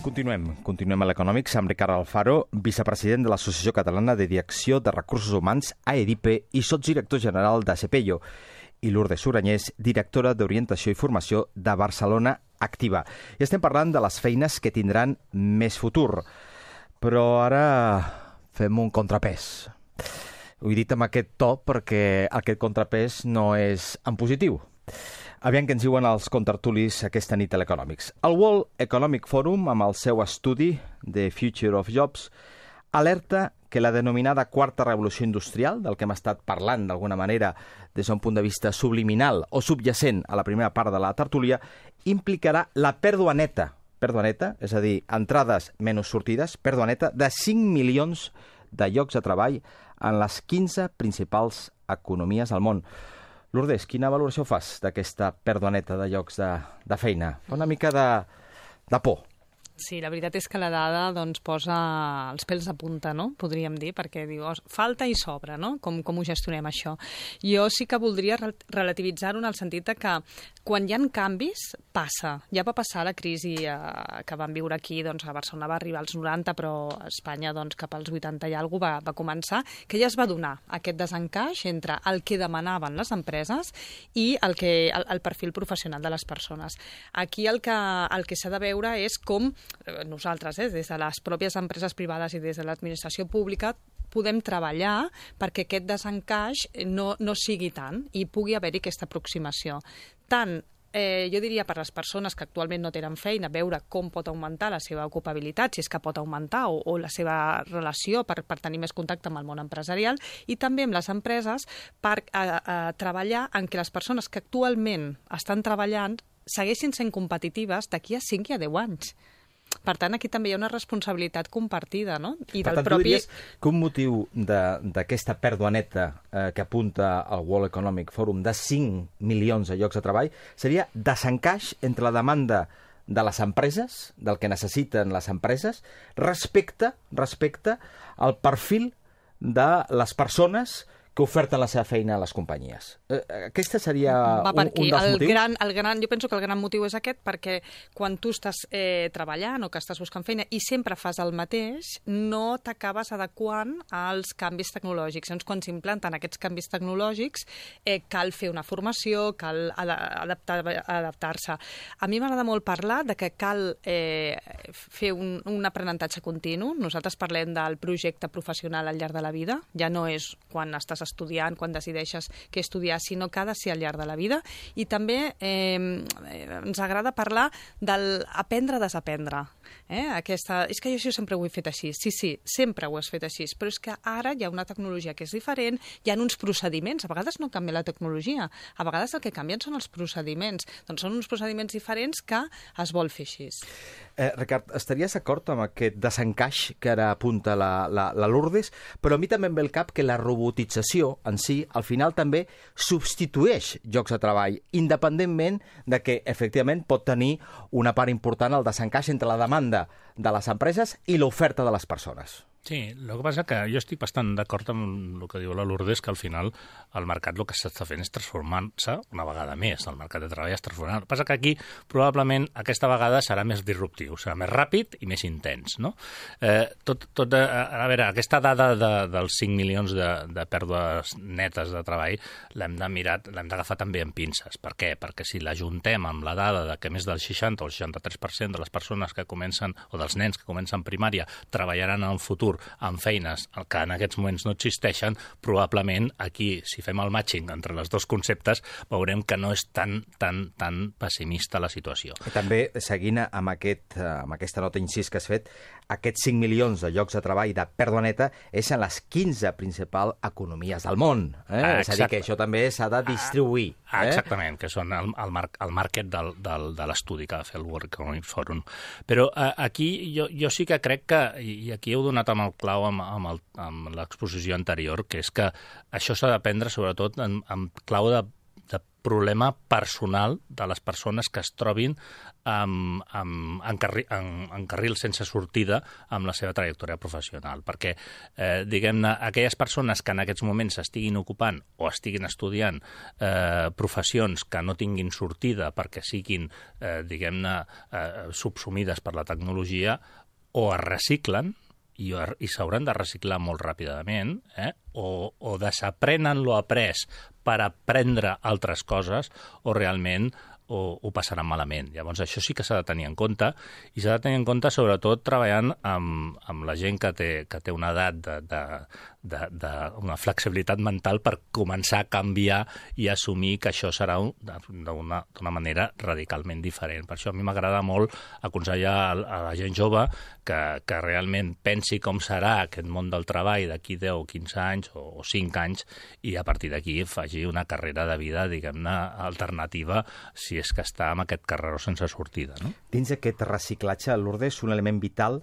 Continuem a l'Econòmics amb Ricard Alfaro, vicepresident de l'Associació Catalana de Direcció de Recursos Humans, AEDIPE, i sotsdirector general de CEPEIO, i Lourdes Uranyés, directora d'Orientació i Formació de Barcelona Activa. I estem parlant de les feines que tindran més futur. Però ara fem un contrapès. Ho he dit amb aquest to perquè aquest contrapès no és en positiu. Aviam què ens diuen els contertulis aquesta nit a l'Econòmics. El World Economic Forum, amb el seu estudi The Future of Jobs, alerta que la denominada quarta revolució industrial, del que hem estat parlant d'alguna manera des d'un punt de vista subliminal o subjacent a la primera part de la tertúlia, implicarà la pèrdua neta, és a dir, entrades menys sortides, pèrdua neta de 5 milions de llocs de treball en les 15 principals economies del món. Lourdes, quina valoració fas d'aquesta pèrdua neta de llocs de feina? Fa una mica de por. Sí, la veritat és que la dada posa els pèls de punta, no? Podríem dir, perquè diu, falta i sobra, no? Com ho gestionem, això? Jo sí que voldria relativitzar-ho en el sentit que quan hi ha canvis, passa. Ja va passar la crisi que vam viure aquí, a Barcelona va arribar als 90, però a Espanya cap als 80 i alguna cosa va començar, que ja es va donar aquest desencaix entre el que demanaven les empreses i el perfil professional de les persones. Aquí el que s'ha de veure és com nosaltres, des de les pròpies empreses privades i des de l'administració pública, podem treballar perquè aquest desencaix no sigui tant i pugui haver-hi aquesta aproximació. Tant, jo diria, per les persones que actualment no tenen feina, veure com pot augmentar la seva ocupabilitat, si és que pot augmentar, o la seva relació per tenir més contacte amb el món empresarial, i també amb les empreses per treballar en que les persones que actualment estan treballant segueixin sent competitives d'aquí a 5 i a 10 anys. Per tant, aquí també hi ha una responsabilitat compartida, no? I per tant, tu diries que un motiu d'aquesta pèrdua neta que apunta el World Economic Forum de 5 milions de llocs de treball seria desencaix entre la demanda de les empreses, del que necessiten les empreses, respecte al perfil de les persones que oferten la seva feina a les companyies. Aquesta seria un dels motius? Jo penso que el gran motiu és aquest, perquè quan tu estàs treballant o que estàs buscant feina i sempre fas el mateix, no t'acabes adequant als canvis tecnològics. Llavors, quan s'implanten aquests canvis tecnològics, cal fer una formació, cal adaptar-se. A mi m'agrada molt parlar de que cal fer un aprenentatge continu. Nosaltres parlem del projecte professional al llarg de la vida. Ja no és quan estàs estudiant, quan decideixes què estudiar, sinó que ha de ser al llarg de la vida. I també ens agrada parlar d'aprendre a desaprendre. És que jo això sempre ho he fet així. Sí, sempre ho has fet així, però és que ara hi ha una tecnologia que és diferent, hi ha uns procediments, a vegades no canvia la tecnologia, a vegades el que canvien són els procediments. Doncs són uns procediments diferents que es vol fer així. Ricard, estaries d'acord amb aquest desencaix que ara apunta la Lourdes, però a mi també em ve al cap que la robotització en si, al final també substitueix llocs de treball, independentment de que, efectivament, pot tenir una part important el desencaix entre la demanda de les empreses i l'oferta de les persones. Sí, el que passa que jo estic bastant d'acord amb el que diu la Lourdes, que al final el mercat el que s'està fent és transformant-se una vegada més, el mercat de treball es transforma. El que passa que aquí probablement aquesta vegada serà més disruptiu, serà més ràpid i més intens, no? A veure, aquesta dada dels 5 milions de pèrdues netes de treball l'hem d'agafar també amb pinces. Per què? Perquè si l'ajuntem amb la dada de que més del 60 o el 63% de les persones que comencen, o dels nens que comencen primària, treballaran en el futur amb feines que en aquests moments no existeixen, probablement aquí, si fem el matching entre els dos conceptes, veurem que no és tan pessimista la situació. I també, seguint amb aquesta nota incís que has fet, aquests 5 milions de llocs de treball de pèrdua neta és en les 15 principals economies del món. És a dir, que això també s'ha de distribuir. Exactament, que són el market de l'estudi que ha de fer el World Economic Forum. Però aquí jo sí que crec que, i aquí heu donat amb el clau amb l'exposició anterior, que és que això s'ha d'aprendre sobretot en clau de problema personal de les persones que es trobin en carril sense sortida amb la seva trajectòria professional. Perquè, diguem-ne, aquelles persones que en aquests moments estiguin ocupant o estiguin estudiant professions que no tinguin sortida perquè siguin, diguem-ne, subsumides per la tecnologia, o es reciclen, i s'hauran de reciclar molt ràpidament, o desaprenen lo après per aprendre altres coses, o realment ho passaran malament. Llavors, això sí que s'ha de tenir en compte, i s'ha de tenir en compte sobretot treballant amb la gent que té una edat d'una flexibilitat mental per començar a canviar i assumir que això serà d'una manera radicalment diferent. Per això a mi m'agrada molt aconsellar a la gent jove que realment pensi com serà aquest món del treball d'aquí 10 o 15 anys o 5 anys, i a partir d'aquí faci una carrera de vida, diguem-ne, alternativa, si és que està amb aquest carreró sense sortida. No? Dins d'aquest reciclatge, Lourdes, un element vital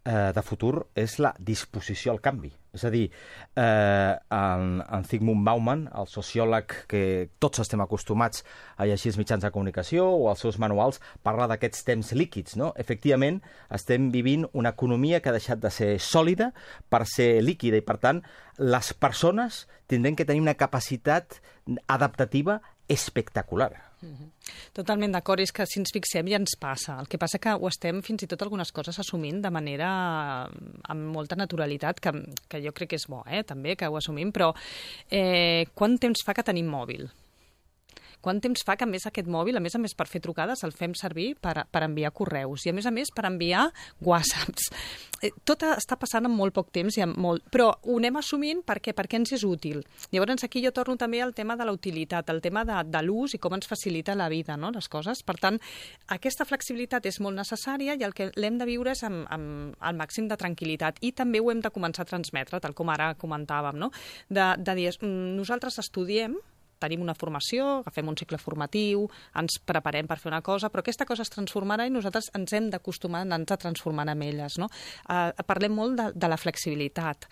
de futur és la disposició al canvi. És a dir, en Zygmunt Bauman, el sociòleg que tots estem acostumats a llegir els mitjans de comunicació o els seus manuals, parla d'aquests temps líquids, no? Efectivament, estem vivint una economia que ha deixat de ser sòlida per ser líquida, i per tant, les persones tindran que tenir una capacitat adaptativa espectacular. Totalment d'acord, és que si ens fixem ja ens passa. El que passa que ho estem fins i tot algunes coses assumint de manera amb molta naturalitat, que jo crec que és bo, també, que ho assumim, però quant temps fa que tenim mòbil? Quant temps fa que, a més, aquest mòbil, a més per fer trucades, el fem servir per enviar correus i, a més, per enviar whatsapps? Tot està passant en molt poc temps, però ho anem assumint perquè ens és útil. Llavors, aquí jo torno també al tema de la utilitat, al tema de l'ús i com ens facilita la vida, no?, les coses. Per tant, aquesta flexibilitat és molt necessària i el que l'hem de viure és amb el màxim de tranquil·litat. I també ho hem de començar a transmetre, tal com ara comentàvem, no?, de dir, nosaltres estudiem, tenim una formació, agafem un cicle formatiu, ens preparem per fer una cosa, però aquesta cosa es transformarà i nosaltres ens hem d'acostumar a anar-nos transformant amb elles, no? Parlem molt de la flexibilitat.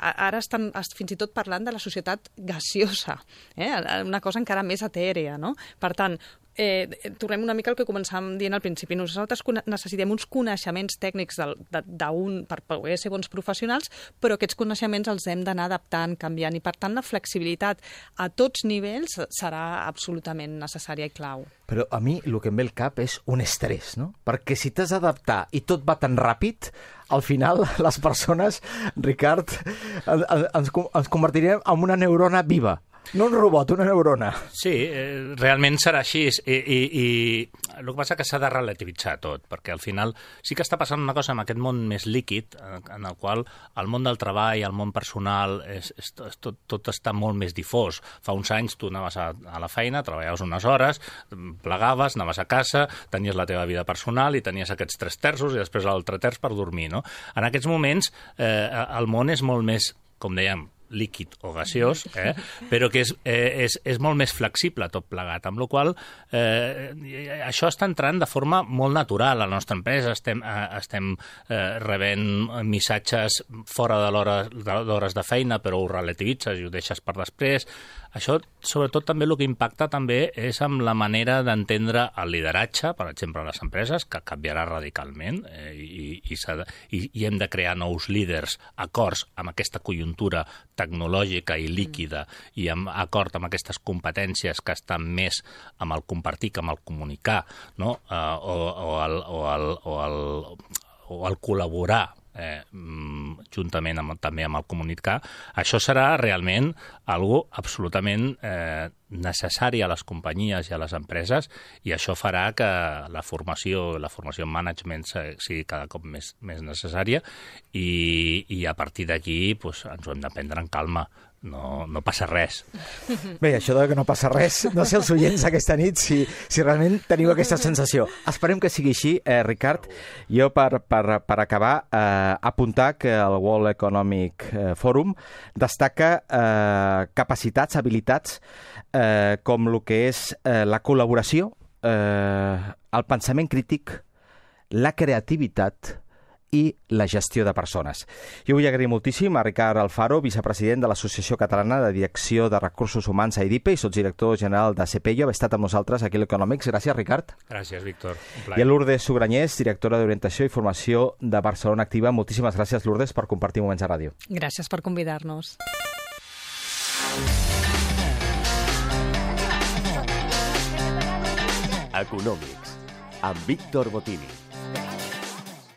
Ara estan fins i tot parlant de la societat gaseosa, una cosa encara més etèrea, no? Per tant, tornem una mica al que començàvem dient al principi. Nosaltres necessitem uns coneixements tècnics per poder ser bons professionals, però aquests coneixements els hem d'anar adaptant, canviant, i per tant la flexibilitat a tots nivells serà absolutament necessària i clau. Però a mi el que em ve al cap és un estrès, no? Perquè si t'has d'adaptar i tot va tan ràpid, al final les persones, Ricard, ens convertirem en una neurona viva. No un robot, una neurona. Sí, realment serà així, i el que passa és que s'ha de relativitzar tot, perquè al final sí que està passant una cosa amb aquest món més líquid, en el qual el món del treball, el món personal, tot està molt més difós. Fa uns anys tu anaves a la feina, treballaves unes hores, plegaves, anaves a casa, tenies la teva vida personal i tenies aquests 3 terços i després l'altre terç per dormir, no? En aquests moments el món és molt més, com dèiem, líquid o gaseós, però que és molt més flexible tot plegat, amb la qual això està entrant de forma molt natural a la nostra empresa. Estem rebent missatges fora d'hores de feina, però ho relativitzes i ho deixes per després. Això, sobretot, també el que impacta també és amb la manera d'entendre el lideratge, per exemple, a les empreses, que canviarà radicalment, i hem de crear nous líders acords amb aquesta conjuntura tecnològica i líquida i acord amb aquestes competències que estan més amb el compartir que amb el comunicar, no? o el col·laborar juntament també amb el comunicar. Això serà realment algo absolutament necessari a les companyies i a les empreses, i això farà que la formació en management sigui cada cop més necessària, i a partir d'aquí ens ho hem de prendre en calma. No passa res. Bé, això de que no passa res, no sé els oients aquesta nit si realment teniu aquesta sensació. Esperem que sigui així, Ricard. Jo, per acabar, apuntar que el World Economic Forum destaca capacitats, habilitats, com el que és la col·laboració, el pensament crític, la creativitat i la gestió de persones. Jo vull agrair moltíssim a Ricard Alfaro, vicepresident de l'Associació Catalana de Direcció de Recursos Humans a EDIPE i sotsdirector general de CEPEIO, haver estat amb nosaltres aquí a l'Econòmics. Gràcies, Ricard. Gràcies, Víctor. I a Lourdes Sugranyés, directora d'Orientació i Formació de Barcelona Activa. Moltíssimes gràcies, Lourdes, per compartir moments a ràdio. Gràcies per convidar-nos. Econòmics, amb Víctor Botini.